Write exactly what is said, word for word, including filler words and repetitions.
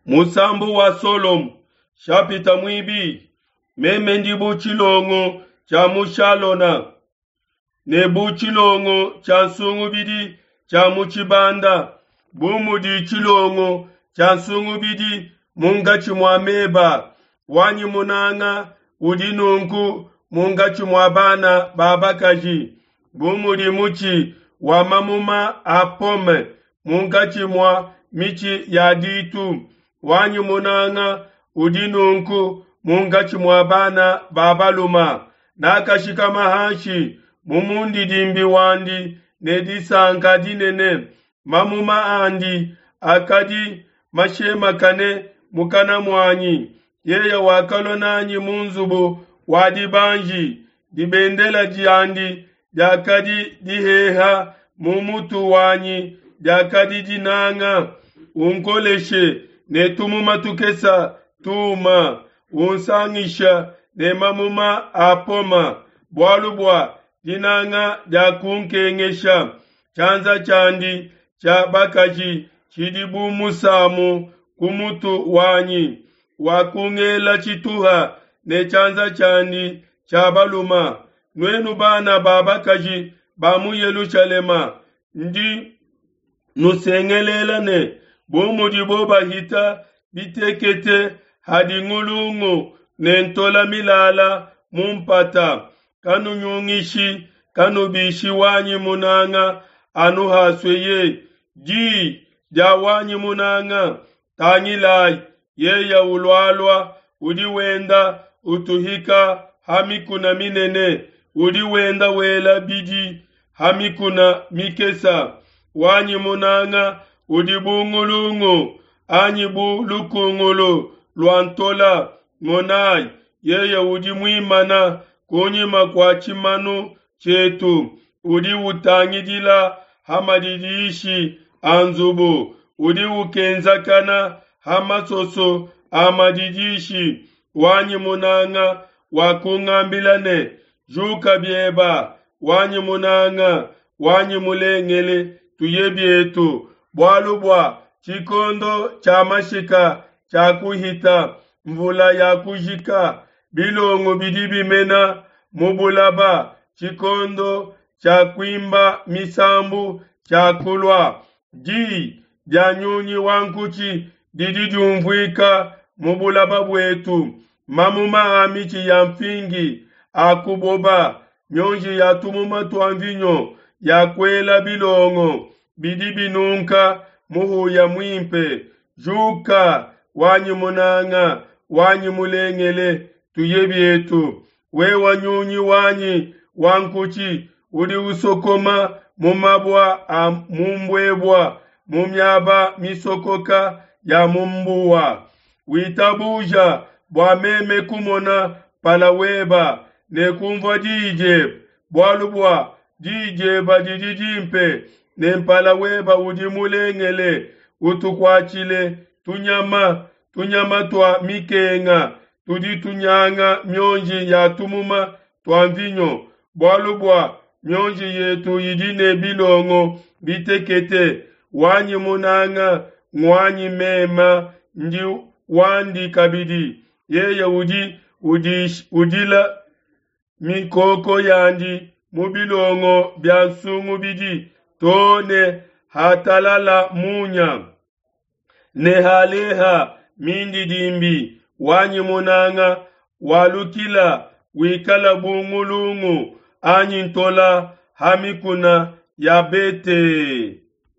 Musambu wa Solomo, nshapita muibidi. Meme ndi bu tshilongo tshia mu Shalona ne bu tshilongo tshia nsungubidi tshia mu tshibanda, bu mudi tshilongo tshia nsungubidi munkatshi mua meba. Wanyi munanga udi nunku munkatshi mua bana ba bakaji, bu mudi mutshi wa mamuma a pome munkatshi mua mitshi ya ditu. Wanyi munanga udi nunku munkatshi mua bana ba baluma. Nakashikama hanshi mu mundidimbi wandi ne disanka dinene. Mamuma andi akadi mashemakane mukana muanyi. Yeye wakalua nanyi mu nzubu wa dibanji. Dibendela diandi diakadi diheha mu mutu wanyi diakadi dinanga. Unkoleshe ne tumuma tukese tuma, unsangisha ne mamuma a poma, bualu bua dinanga diakunkengesha. Tshianza tshiandi tshia bakaji tshidi bu musamu ku mutu wanyi, wakungela tshituha ne tshianza tshiandi tshia balume. Nuenu bana ba bakaji ba mu Yelushalema, ndi nusengelela ne, bu mudibo bahita bitekete hadi ngulungu ne ntola milala mu mpata, kanunyungishi, kanubishi wanyi munanga anu hasueye. Di dia wanyi munanga, tangilai, yeye ulualua, udi wenda utuhika ha mikuna minene, udi wenda wela bidi ha mikuna mikese. Wanyi munanga udi bu ngulungu anyi bu lukungulu lua ntola. Monai, yeye udi muimana kunyima kua tshimanu tshietu, udi utangidila ha madidishi a nzubu, udi ukenzakana ha masoso a madidishi. Wanyi munanga wakungambila ne, Juka bieba, wanyi munanga, wanyi mulengele, tuye bietu, bualu bua tshikondo tshia mashika tshiakuhita, nvula yakujika, bilongo bidi bimena mu bulaba, tshikondo tshia kuimba misambu tshiakulua. Di dia nyunyi wa nkutshi didi diunvuika mu bulaba buetu. Mamuma a mitshi ya nfingi akuboba, mionji ya tumuma tua nvinyo yakuela bilongo bidi binunka muhuya muimpe. Juka, wanyi munanga, wanyi mulengele, tuye bietu. Wewe nyunyi wanyi wa nkutshi, udi usokoma mu mabua a mu mbuebua, mu miaba misokoka ya mu mbuwa. Witabuja bua meme kumona mpala weba ne kunvua diyi diebe, bualu bua diyi diebe didi dimpe ne mpala weba udi mulengele. Utukuatshile tunyama, tunyama tua mikenga tudi tunyanga mionji ya tumuma tua nvinyo, bualu bua mionji yetu idi ne bilongo bitekete. Wanyi munanga nguanyi meme ndi wandi kabidi, yeye udi udila mikoko yandi mu bilongo bia nsungubidi to ne hatalala munya ne haleha mindidimbi. Wanyi munanga walukila wikala bu ngulungu anyi ntola ha mikuna ya Bete.